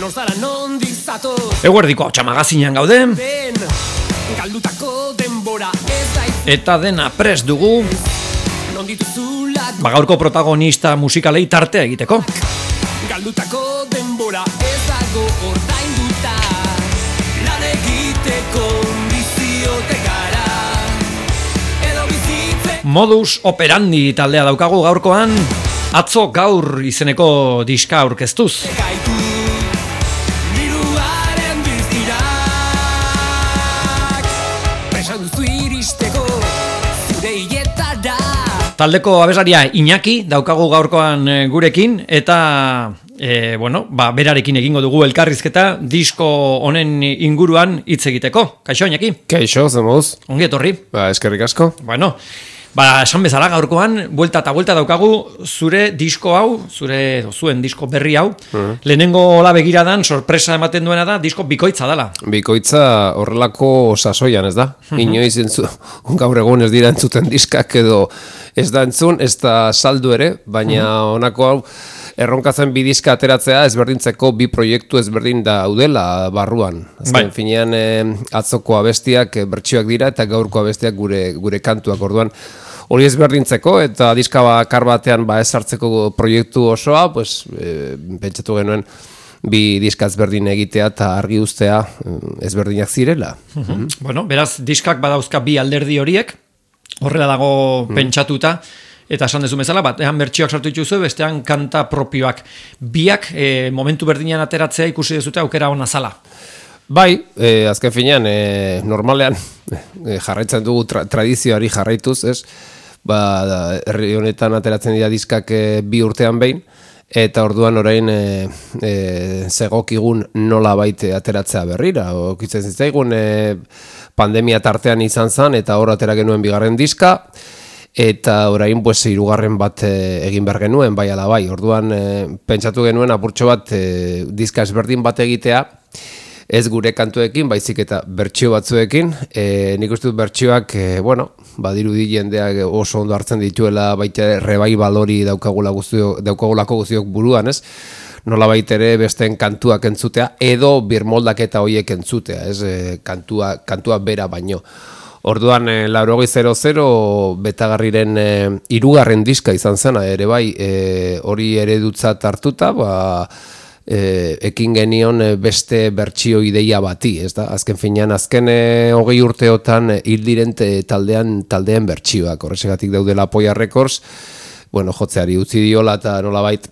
Norzara nondik zatoz Eguerdiko Hautsa Magazinean gaude Galdutako denbora ez daiz eta dena prest dugu Nondituzulak gaurko protagonista musikalei tartea egiteko. Galdutako denbora ez dago ordainduta Lan egiteko biziote gara Edo bizitze Modus operandi taldea daukagu gaurkoan, atzo gaur izeneko diska aurkeztuz. gaitu Diruaren biztirak Presan duzu iristeko zure hiletara Taldeko abeslaria Iñaki daukagu gaurkoan gurekin eta berarekin egingo dugu elkarrizketa disko honen inguruan hitz egiteko. Kaixo Iñaki? Kaixo, zemuz? Ongi etorri. Eskerrik asko. Bueno, esan bezala gaurkoan buelta eta buelta daukagu zure disko hau, zuen disko berri hau. Lehenengo hola begiradan sorpresa ematen duena da disko bikoitza dela. Bikoitza horrelako sasoian, ez da? Inoiz gaur egun ez dira entzuten diskak edo ez da entzun, ez da saldu ere, baina honako hau erronkatzen bi diska ateratzea ezberdintzeko bi proiektu ezberdin daudela barruan. Azken finean atzoko abestiak bertsioak dira eta gaurko abestiak gure kantuak orduan. Hori ezberdintzeko eta diska bakar batean ez hartzeko proiektu osoa, pentsatu genuen bi diska ezberdin egitea eta argi uztea ezberdinak zirela. Bueno, beraz, diskak badauzka bi alderdi horiek, horrela dago pentsatuta, eta esan dezu bezala, batean bertsioak sartu dituzu, bestean kanta propioak. Biak momentu berdinean ateratzea ikusi dezute aukera ona zala. Bai, azken finean, normalean jarraitzen dugu tradizioari jarraituz, ez? Herri honetan ateratzen dira diskak bi urtean behin, eta orduan orain zegokigun nola baite ateratzea berrira. Okitzen zitzaigun pandemia tartean izan zen, eta hor atera genuen bigarren diska, eta orain hirugarren bat egin behar genuen, bai ala bai. Orduan pentsatu genuen apurtxo bat diska ezberdin bat egitea, ez gure kantuekin, baizik eta bertsio batzuekin. Nik uste dut bertsioak, badirudi jendeak oso ondo hartzen dituela, baita revival hori daukagulako guztiok buruan, ez? Nola baitere besteen kantuak entzutea, edo birmoldaketa horiek entzutea, ez? Kantua bera baino. Orduan, 8000 Betagarriren hirugarren diska izan zena, ere bai, hori eredutzat hartuta, ekin genion beste bertsio ideia bati, ez da? Azken finean, azken 20 urteotan hil diren taldeen bertsioak, horregatik daudela Poia Records, jotzeari utzi diola eta nolabait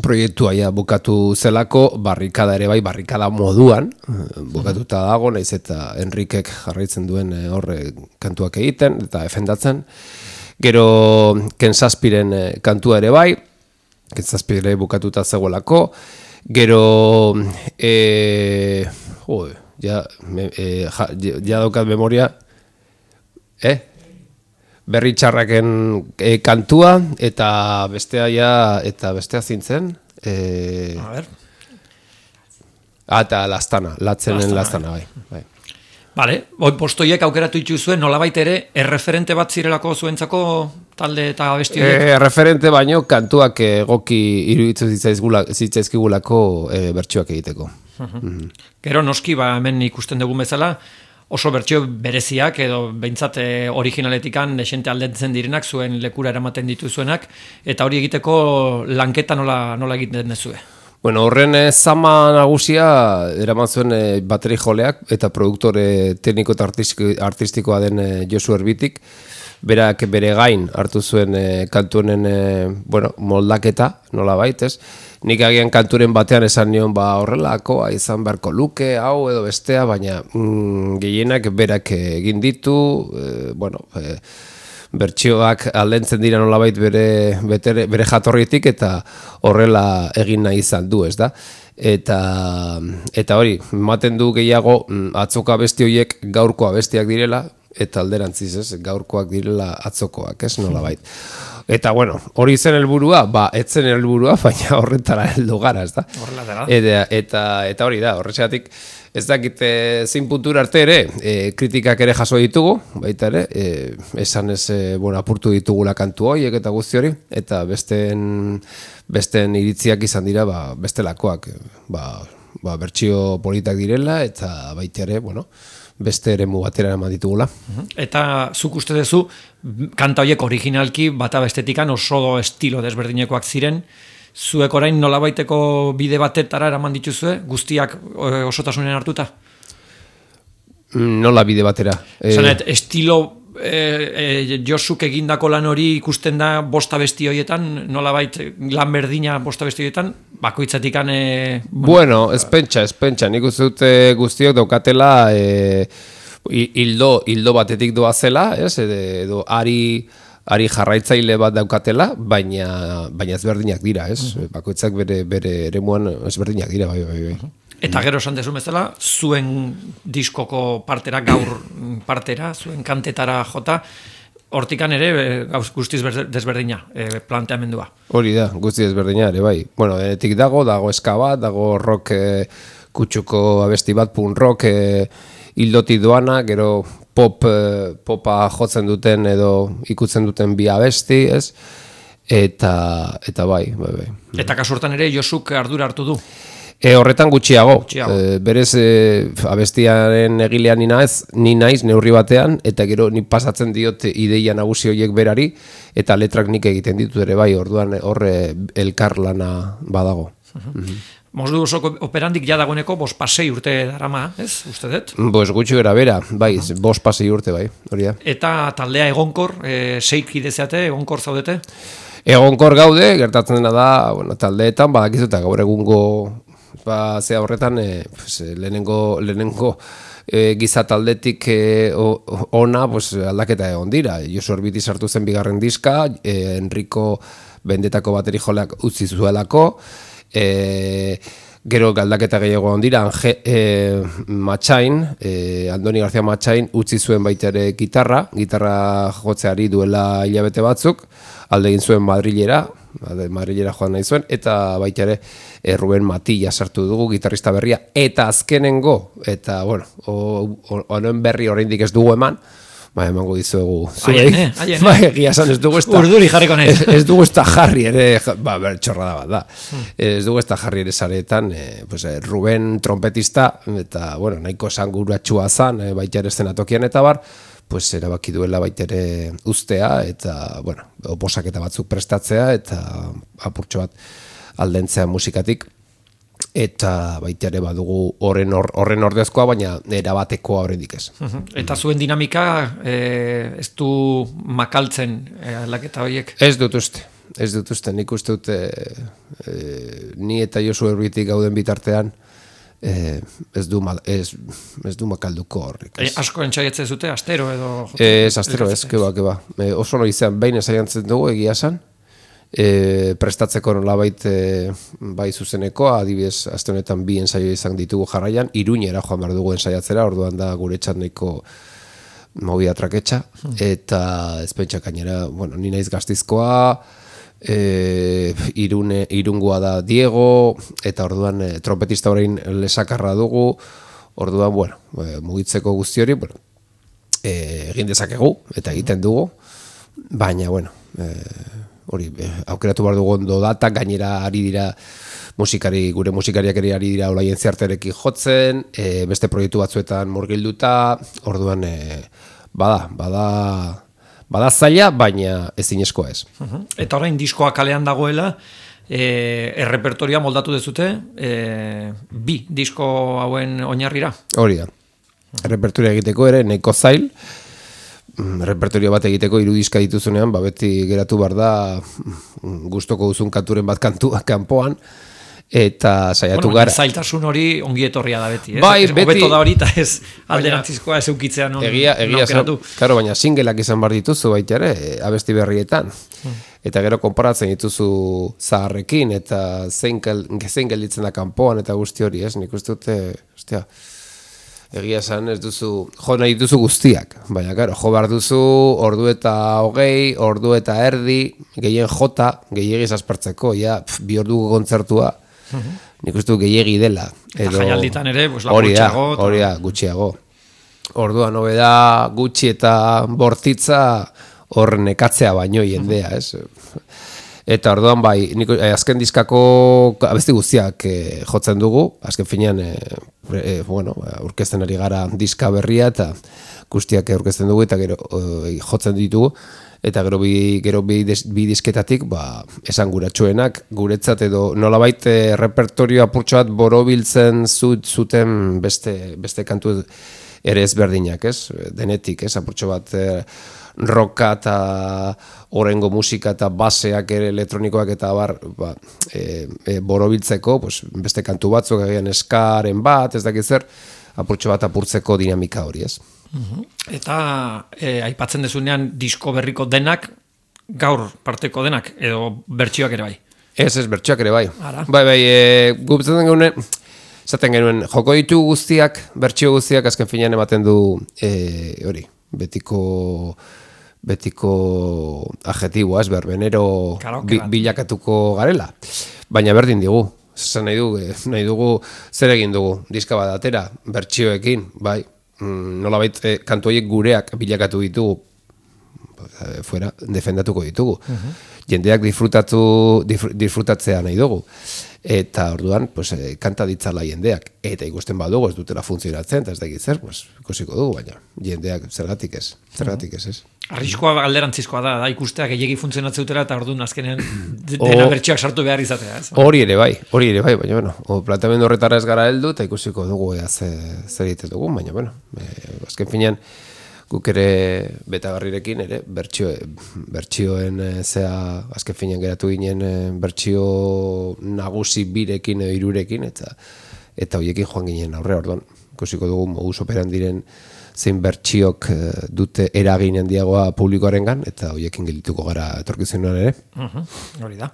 proiektua bukatu zelako, barrikada ere bai, barrikada moduan, bukatuta dago, naiz eta Enrikek jarraitzen duen horre kantuak egiten eta efendatzen. Gero Kensaspiren kantua ere bai, Kensaspire bukatuta zegoelako. Gero, ja daukat memoria, Berri txarraken kantua, eta bestea zintzen. A ver. Eta Lastana, Latzenen Lastana, bai. Vale, postoiek aukeratu dituzuen nolabait ere erreferente bat zirelako zuentzako talde eta abesti horiek? Erreferente baino kantuak egoki iruditzen zitzaizkigulako bertsioak egiteko. Gero noski hemen ikusten dugun bezala, oso bertsio bereziak edo behintzat originaletikan desente aldentzen direnak zuen lekura eramaten dituzuenak, eta hori egiteko lanketa nola egiten dezue? Horren zama nagusia eraman zuen bateri joleak eta produktore tekniko eta artistikoa den Josu Erbitik, berak bere gain hartu zuen kantuenen moldaketa, nola baitez. Nik agian kanturen batean esan nion horrelakoa izan beharko luke, hau edo bestea, baina gehienak berak egin ditu, bertsioak aldentzen dira nolabait bere jatorritik eta horrela egin nahi izan du, ez da? Eta hori, ematen du gehiago atzoko abesti horiek gaurko abestiak direla, eta alderantziz, ez? Gaurkoak direla atzokoak, ez? Nolabait. Eta hori zen helburua, etzen helburua, baina horretara heldu gara, ez da? Horrela dela. Eta hori da, horretxeatik ez dakit zein puntura arte ere, kritikak ere jaso ditugu, baita ere, esan ez apurtu ditugula kantu horiek eta guzti hori, eta besteen iritziak izan dira bestelakoak, bertsio politak direla, eta baita ere, beste eremu batera eman ditugula. Eta zuk uste duzu, kanta horiek originalki bata bestetikan oso estilo desberdinekoak ziren, zuek orain nolabaiteko bide batetara eraman dituzue, guztiak osotasunen hartuta? Nola bide batera? Zanet, estilo Josuk egindako lan hori ikusten da bosta besti horietan, nolabait lan berdina bosta besti horietan, bakoitzatikan... Bueno, ez pentsa, nik uste dut guztiok daukatela hildo batetik doazela, edo ari jarraitzaile bat daukatela, baina ezberdinak dira, bakoitzak bere eremuan ezberdinak dira, bai. Eta gero esan dezu bezala, zuen diskoko partera, gaur partera, zuen kantetara jota, hortikan ere guztiz desberdina planteamendua. Hori da, guztiz desberdina ere, bai. Bueno, denetik dago eska bat, dago rock kutsuko abesti bat, punk rock hildoti doana, gero popa jotzen duten edo ikutzen duten bi abesti, ez? Eta bai. Eta kasurtan ere Josuk ardura hartu du. Horretan gutxiago. Berez abestiaren egilean ni naiz neurri batean, eta gero ni pasatzen diot ideia nagusi horiek berari, eta letrak nik egiten ditut ere bai, orduan horre elkar lana badago. Modu osoko operandik ja dagoeneko 5-6 urte darama, ez? Uste dut? Gutxi bera, bai, 5-6 urte bai, hori da. Eta taldea egonkor, 6 kide zeate, egonkor zaudete? Egonkor gaude, gertatzen dena da, taldeetan, badakizuta gaur egungo zea horretan, lehenengo giza taldetik ona aldaketa egon dira. Josu Orbiti sartu zen bigarren diska, Enrico bendetako bateri joleak utzi zuelako, gero galdaketa gehiago egon dira, Matxain, Andoni García Matxain utzi zuen baita ere gitarra jotzeari duela hilabete batzuk, alde egin zuen Madrilera joan nahi zuen, eta baita ere Ruben Matilla sartu dugu, gitarrista berria, eta azkenengo, eta honen berri oraindik ez dugu eman, emango dizuegu zuei, egia esan ez dugu urduri jarriko nahi. Ez dugu ez da jarri ere, txorrada bat da, ez dugu ez da jarri ere zaretan, Ruben trompetista, eta nahiko esanguratxua zan, baita ere eszenatokian eta bar, erabaki duela baitere ustea, eta, oposaketa batzuk prestatzea, eta apurtxo bat aldentzea musikatik, eta baitere badugu horren ordezkoa, baina erabatekoa horrendik ez. Eta zuen dinamika ez du makaltzen aldaketa horiek? Ez dut uste, nik uste dut ni eta Josu Orbitik gauden bitartean, ez du makalduko horrik. Asko entzaiatzen zute, astero edo? Ez, astero ez, keba. Oso no izan, behin ezaiantzen dugu egia esan, prestatzeko nolabait bai zuzeneko, adibidez, aste honetan 2 ensaio izan ditugu jarraian, Iruñera joan behar dugu ensaiatzera, orduan da gure txandeko movida traketxa, eta ezpentsak gainera, ni naiz Gastizkoa, irungoa da Diego, eta orduan trompetista orain lesakarra dugu, orduan, mugitzeko guzti hori, egin dezakegu, eta egiten dugu, baina, hori, aukeratu behar dugu ondo data, gainera ari dira gure musikariak ere ari dira olaien ziarterekin jotzen, beste proiektu batzuetan murgilduta, orduan, bada zaila, baina ezinezkoa ez. Eta orain diskoa kalean dagoela, errepertoria moldatu dezute, 2 disko hauen oinarrira? Hori da. Errepertoria egiteko ere nahiko zail, repertorio bat egiteko 3 diska dituzunean, beti geratu behar da gustoko duzun kanturen bat kanpoan, eta saiatu gara. Zailtasun hori ongi etorria da beti, ez? Bai, beti. Hobeto da hori, eta ez alderantzizkoa ez eukitzea non aukeratu. Claro, baina singleak izan behar dituzu baita ere, abesti berrietan. Eta gero konparatzen dituzu zaharrekin, eta zein gelditzen da kanpoan, eta guzti hori, ez? Nik uste dute, egia esan ez duzu, jo nahi dituzu guztiak, baina jo behar duzu ordu eta 20, ordu eta erdi, gehien jota, gehiagiz aspertzeko, 2 orduko kontzertua, nik uste du gehiagi dela. Jaialditan ere, gutxiago. Hori da, gutxiago. Orduan hobe da gutxi eta bortitza hor nekatzea baino jendea, ez? Eta orduan bai, azken diskako abesti guztiak jotzen dugu, azken finean, aurkezten ari gara diska berria eta guztiak aurkezten dugu eta gero jotzen ditugu. Eta gero bi disketatik, esanguratsuenak guretzat edo nolabait repertorio apurtxo bat borobiltzen zuten beste kantu ere ezberdinak, ez? Denetik, ez? Apurtxo bat rocka eta orengo musika eta baseak ere elektronikoak eta borobiltzeko, beste kantu batzuk agian eskaren bat, ez dakit zer, apurtxo bat apurtzeko dinamika hori, ez? Eta aipatzen dezunean disko berriko denak, gaur parteko denak, edo bertsioak ere bai? Ez, bertsioak ere bai. Ara? Bai, gupatzen genuen, esaten genuen, joko ditu guztiak, bertsio guztiak azken finean ematen du hori, betiko adjetiboa, ez berbenero bilakatuko garela. Baina berdin digu, esan nahi dugu zer egin dugu, diska bat atera, bertsioekin, bai, nolabait kantu horiek gureak bilakatu ditugu, fuera, defendatuko ditugu. Jendeak disfrutatzea nahi dugu. Eta orduan, kanta ditzala jendeak. Eta ikusten badugu ez dutela funtzionatzen, eta ez dakit zer, ikusiko dugu, baina jendeak zergatik ez, ez. Arriskoa alderantzizkoa da ikustea gehiegi funtzionatzen dutela eta orduan azkenean dena bertsioak sartu behar izatea. Hori ere bai, baina planteamendu horretara ez gara heldu eta ikusiko dugu zer egiten dugu, baina azken finean guk ere Betagarrirekin ere bertsioen azken finean geratu ginen bertsio nagusi birekin edo hirurekin eta horiekin joan ginen aurre, orduan ikusiko dugu modus operandiren zein bertsiok dute eragin handiagoa publikoarengan eta horiekin geldituko gara etorkizunean ere. Hori da.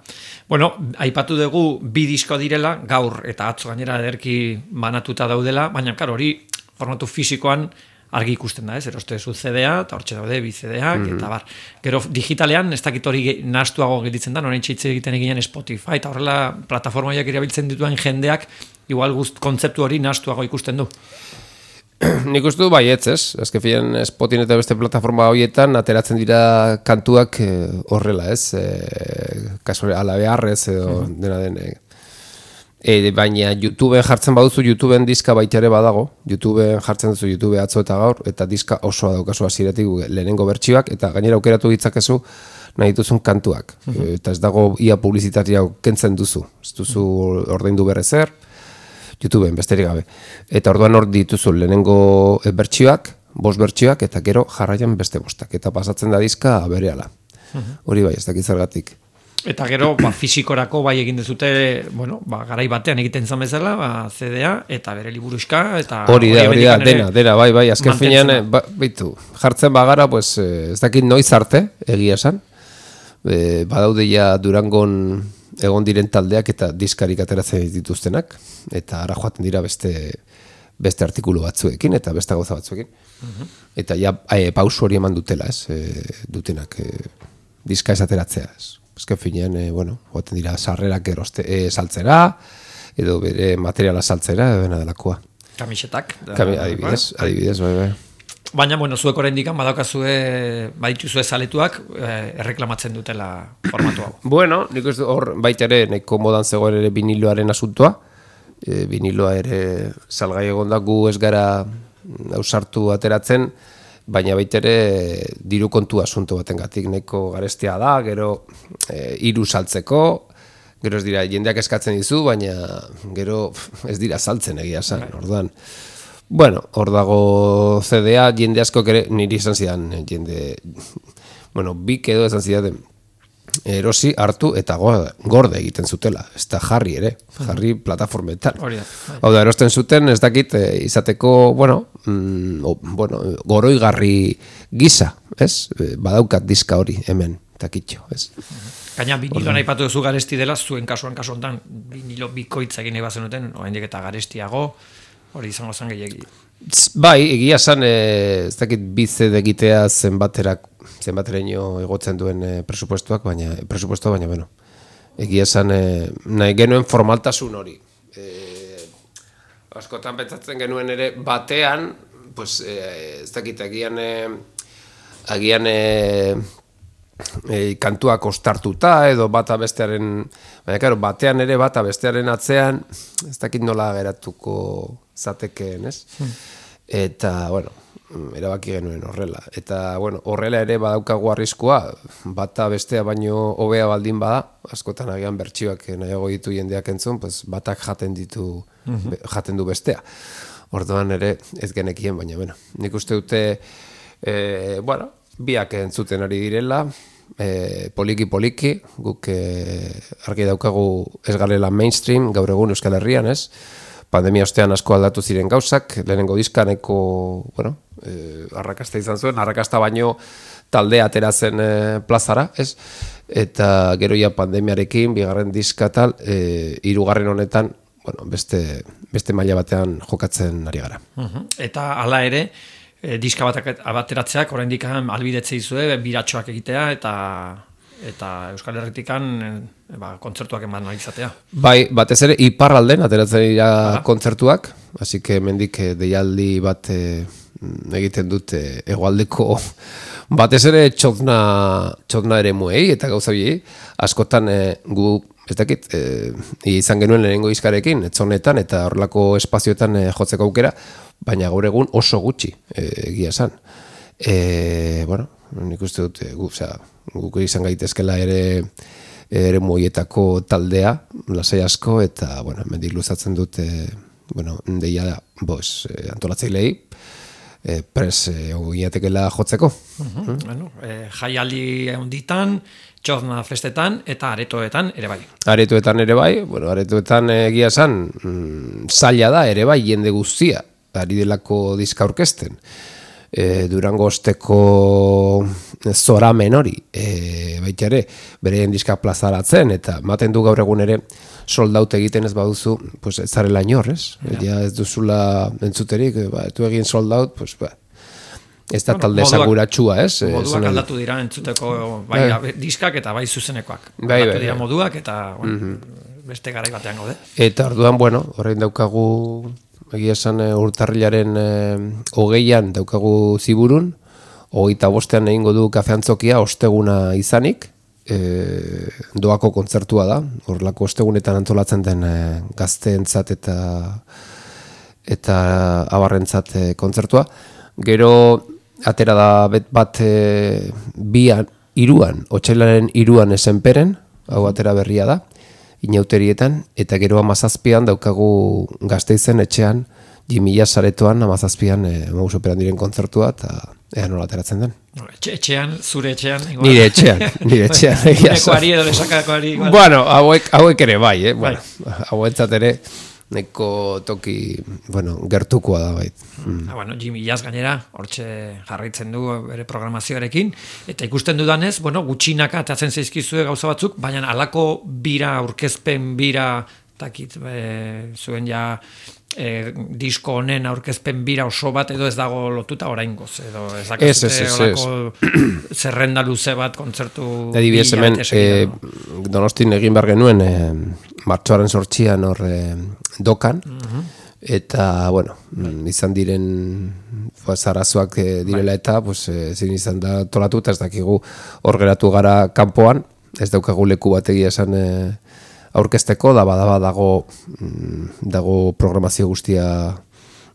Bueno, aipatu dugu bi disko direla, gaur eta atzo gainera ederki banatuta daudela, baina karo hori formatu fisikoan argi ikusten da, ez? Erostezu CD-a, eta hortxe daude bi CD-ak, eta bar. Gero digitalean, ez dakit hori nahastuago gelditzen da, noren txitze egiten eginen Spotify, eta horrela plataformaiak erabiltzen dituen jendeak, igual kontzeptu hori nahastuago ikusten du. Nik uste du baietz, ez? Azken finean Spotin eta beste plataforma horietan ateratzen dira kantuak horrela, ez? Kasu ala beharrez edo dena den. Baina YouTubeen jartzen baduzu, YouTubeen diska baita ere badago. YouTubeen jartzen duzu YouTube atzo eta gaur, eta diska osoa daukazu hasieratik lehenengo bertsioak, eta gainera aukeratu ditzakezu nahi dituzun kantuak. Eta ez dago ia publizitatea kentzen duzu. Ez duzu ordaindu berrezer, YouTubeen besterik gabe. Eta orduan hor dituzu lehenengo bertsioak, 5 bertsioak, eta gero jarraian beste 5. Eta pasatzen da diska berehala. Hori bai, ez dakit zergatik. Eta gero, fisikorako bai egin dezute, garai batean egiten zan bezala, CD-a, eta bere liburuxka, eta... Hori da, dena, bai, azken finean, jartzen bagara, ez dakit noiz arte, egia esan, badaude ja Durangon egon diren taldeak eta diskarik ateratzen dituztenak, eta ara joaten dira beste artikulu batzuekin, eta beste gauza batzuekin. Eta ja, pausu hori eman dutela, dutenak diska ez ateratzea, Azken finean, joaten dira sarrerak saltzera, edo bere materiala saltzera, edo dena delakoa. Kamisetak. Adibidez, bai. Baina, zuek oraindik badakazue, badituzue zaletuak, erreklamatzen dutela formatu hau. Nik uste hor baita ere, nahiko modan zegoen ere viniloaren asuntoa. Viniloa ere salgai egon da gu ez gara ausartu ateratzen, baina baita ere diru kontu asunto batengatik nahiko garestia da, gero hiru saltzeko, gero ez dira jendeak eskatzen dizu, baina gero ez dira saltzen egia esan, orduan. Hor dago CD-a, jende asko ere niri izan zidan, bik edo izan zidan, erosi, hartu eta gorde egiten zutela, ez da jarri ere, jarri plataformetan. Hau da, erosten zuten, ez dakit, izateko, goroigarri gisa, ez? Badaukat diska hori hemen, takitxo, ez? Gaina, viniloan aipatu duzu garesti dela, zuen kasuan kasu honetan, vinilo bikoitza egin ebazen duten, oraindik eta garestiago, hori izango zen gehiagi. Bai, egia esan, ez dakit bized egitea zenbateraino egotzen duen presupuestoak, baina egia esan nahi genuen formaltasun hori. Askotan pentsatzen genuen ere batean, ez dakit, agian kantuak ostartuta edo bata bestearen, baina claro, batean ere bata bestearen atzean, ez dakit nola geratuko zatekeen, ez? Eta, bueno, erabaki genuen horrela. Eta, bueno, horrela ere badaukagu arriskua, bata bestea baino hobea baldin bada, askotan agian bertsioak nahiago ditu jendeak entzun, pues batak jaten du bestea. Orduan ere ez genekien, baina, bueno, nik uste dute, bueno, biak entzuten ari direla, poliki, guk argi daukagu ez garela mainstream, gaur egun Euskal Herrian, ez? Pandemia ostean asko aldatu ziren gauzak, lehenengo diskaneko, bueno, arrakasta izan zuen, arrakasta baino taldea atera zen plazara, ez? Eta gero ja pandemiarekin, bigarren diska tal, hirugarren honetan, bueno, beste maila batean jokatzen ari gara. Eta hala ere, diska bateratzeak oraindik albidetzea izue, biratxoak egitea eta Euskal Herritikan kontzertuak eman izatea. Bai, batez ere iparralden ateratzen dira kontzertuak, así que hemendik deialdi bat egiten dut hegoaldeko batez ere txotna eremuei eta gauza biei, askotan gu ez dakit, izan genuen lehenengo izkarekin, etzonetan eta horrelako espazioetan jotzeko aukera, baina gaur egun oso gutxi egia esan. Bueno, nik uste dut, guk izan gaitezkela ere muietako taldea, lasai asko, eta, bueno, mendik luzatzen dut, bueno, deia antolatzailei, pres ogiatekela jotzeko. Bueno, jaialdi handitan, txozna festetan eta aretoetan ere bai. Aretoetan ere bai, bueno, aretoetan egia esan, zaila da ere bai jende guztia, ari delako diska aurkezten. Durango osteko zoramen hori, baita ere, bereien diska plazaratzen, eta maten du gaur egun ere soldaut egiten ez baduzu, pues ez zarela inor, ez? Ja ez duzula entzuterik, tu egin soldaut, pues ez da talde esanguratxua, ez? Moduak aldatu dira entzuteko bai diskak eta bai zuzenekoak. Aldatu dira moduak eta beste garai batean gaude. Eta orduan, bueno, horrein daukagu egia esan urtarrilaren 20an daukagu Ziburun, 25ean egingo du kafeantzokia osteguna izanik, doako kontzertua da, horrelako ostegunetan antolatzen den gazteentzat eta abarrentzat kontzertua. Gero atera da bat iruan, otsailaren 2an esenperen, hau atera berria da, inauterietan, eta gero 17an daukagu Gasteizen etxean, Jimila saretoan 17an operan diren kontzertua, eta ea nola ateratzen den. Etxean, zure etxean? Nire etxean. Nekoari edo lesakakoari? Bueno, hauek ere bai, bueno, hauentzat ere, neko toki, bueno, gertukoa da bait. Bueno, Jimmy Jazz gainera, hortxe jarraitzen du bere programazioarekin, eta ikusten dudanez, bueno, gutxinaka atatzen zaizkizue gauza batzuk, baina halako bira, aurkezpen bira, takit, zuen ja disko honen aurkezpen bira oso bat edo ez dago lotuta oraingoz, edo ez dakazute olako zerrenda luze bat kontzertu adibidez hemen Donostin egin behar genuen martxoaren 8an hor dokan, eta bueno, izan diren arazoak direla eta ezin izan da tolatu, eta ez dakigu hor geratu gara kanpoan, ez daukagu leku bat egia esan aurkezteko, dago programazio guztia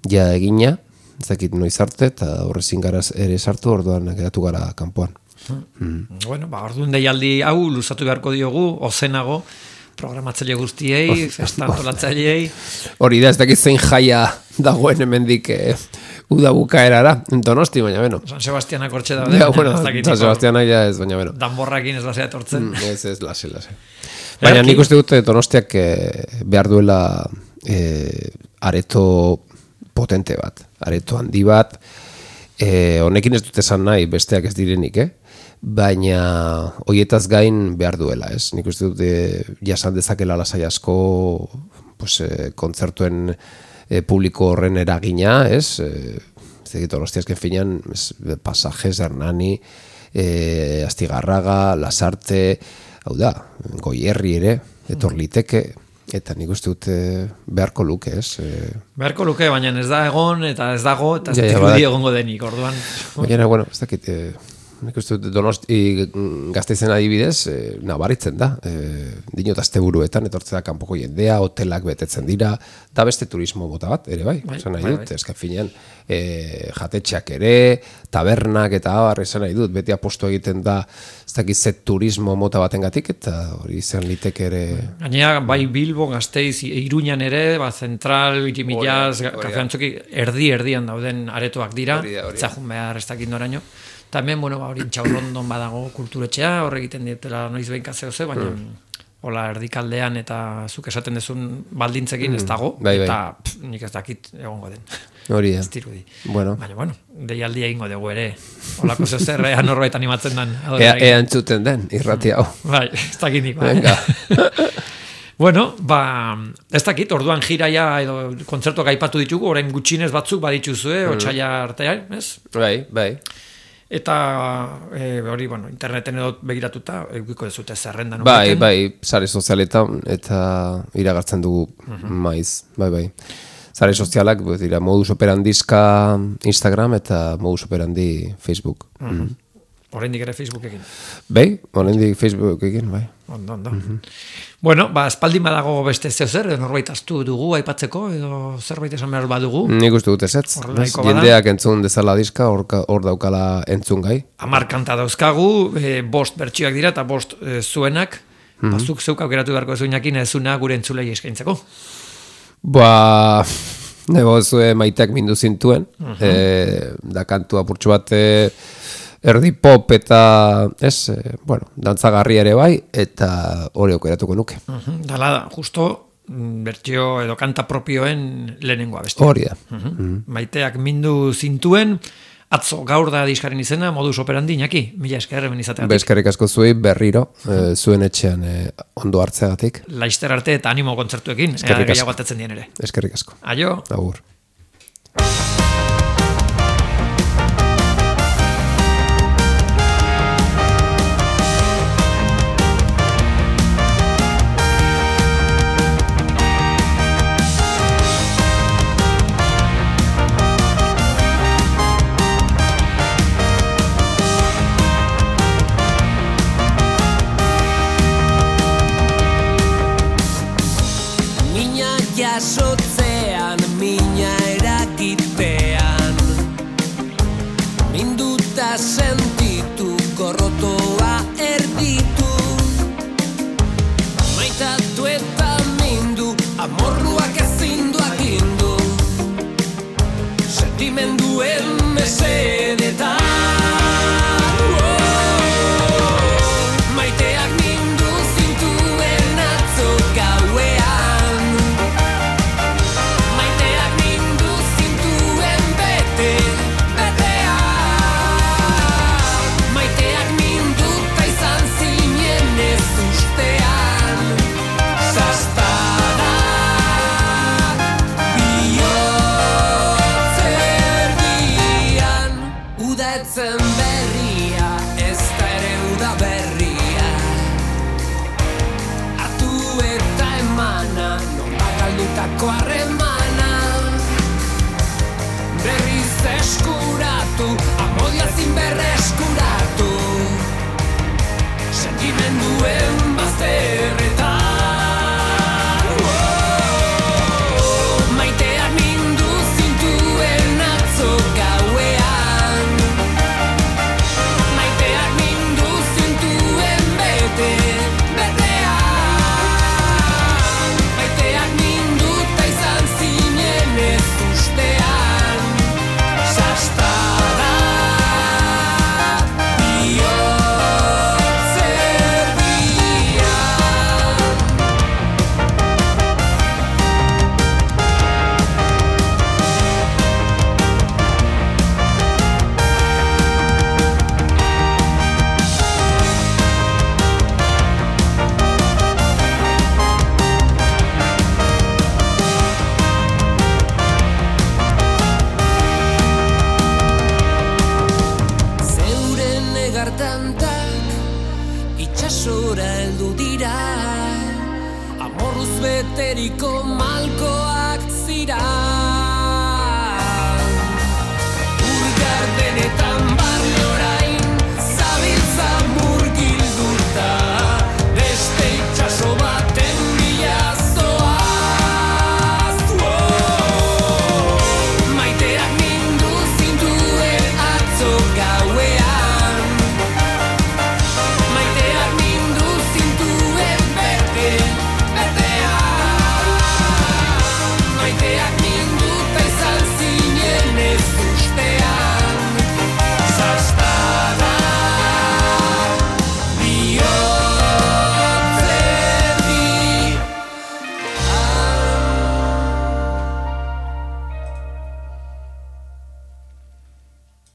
ja egina, ez dakit noiz arte, eta horrezin gara ere sartu, orduan geratu gara kanpoan. Bueno, orduan deialdi hau luzatu beharko diogu, ozenago, programatzaile guztiei, festa antolatzaileei. Hori da, ez dakit zein jaia dagoen hemendik uda bukaerara, Donosti, baina beno. San Sebastianak hortxe daude. San Sebastianak ja ez, baina beno. Danborrakin ez lasea etortzen. Ez, lase. Baina nik uste dut Donostiak behar duela areto potente bat, areto handi bat, honekin ez dut esan nahi besteak ez direnik, baina hoietaz gain behar duela, ez? Nik uste dut jasan dezakela lasai asko kontzertuen publiko horren eragina, ez? Donostiazken finean, Pasajes, Hernani, Astigarraga, Lasarte, hau da, Goierri ere, etor liteke, eta nik uste dut beharko luke, ez? Beharko luke, baina ez da egon, eta ez dago, eta ez dirudi egongo denik, orduan. Baina, bueno, ez dakit, nik uste dut Donosti Gasteizen adibidez, nabaritzen da. Dinot asteburuetan etortzea kanpoko jendea, hotelak betetzen dira, da beste turismo mota bat, ere bai, esan nahi dut, eskan finean, jatetxeak ere, tabernak eta abar, esan nahi dut, beti apostu egiten da, ez dakit ze turismo mota batengatik eta hori izan liteke ere... Gainera, bai Bilbo, Gasteiz, Iruñan ere, Zentral, Irimilaz, Kafe Antzoki, erdian dauden aretoak dira, zahun behar ez dakit noraino. Tamen, bueno, hori Txaurrondon badago kulturetxea, horre egiten dietela noiz behin kazeo ze, baina hola erdikaldean eta zuk esaten dezun baldintzekin ez dago, eta nik ez dakit egongo den. Hori, ez dirudi. Bueno. Baina, bueno, deialdia egingo dugu ere. Holako zer, norbait animatzen den. Ea entzuten den, irrati hau. Bai, ez dakit nik. Bueno, ez dakit, orduan jiraia edo kontzertuak aipatu ditugu, orain gutxinez batzuk badituzue, otsaila artean, ez? Bai. Eta hori, bueno, interneten edo begiratuta, egiko dezute zerrenda. Bai, sare sozialetan, eta iragartzen dugu maiz, bai. Sare sozialak, dira, modus operandizka Instagram eta modus operandi Facebook. Oraindik ere Facebookekin. Bai, oraindik Facebookekin, bai. Ondo. Bueno, espaldin badago beste zer, norbait astu dugu aipatzeko, edo zerbait esan behar badugu. Nik uste dut ezetz. Jendeak entzun dezala diska, hor daukala entzun gai. 10 kanta dauzkagu, 5 bertsioak dira, eta 5 zuenak. Bazuk zeuk aukeratu beharko zuinakin ezuna gure entzulei eskaintzeko. Nego zue maiteak mindu zintuen, da kantu apurtxo bat erdi pop eta dantzagarri ere bai, eta hori aukeratuko nuke. Dala da, justo bertsio edo kanta propioen lehenengoa beste. Hori da. Maiteak mindu zintuen, atzo gaur da diskaren izena, modus operandi, Iñaki, mila esker hemen izateatik. Eskerrik asko zuei berriro, zuen etxean ondo hartzeagatik. Laister arte eta animo kontzertuekin, gehiago atetzen dien ere. Eskerrik asko. Aio. Agur. Jasotzean, mina erakitean, minduta sentitu, gorrotoa erditu, maitatu eta mindu, amorruak ezindu agindu, sentimenduen mesedetan. Maiteak mindu zintuen atzo gauean, etzen berria, ez da ere uda berria, hartu eta emana, nola galdutako harremana, berriz eskuratu, amodia zin berreskuratu, sentimenduen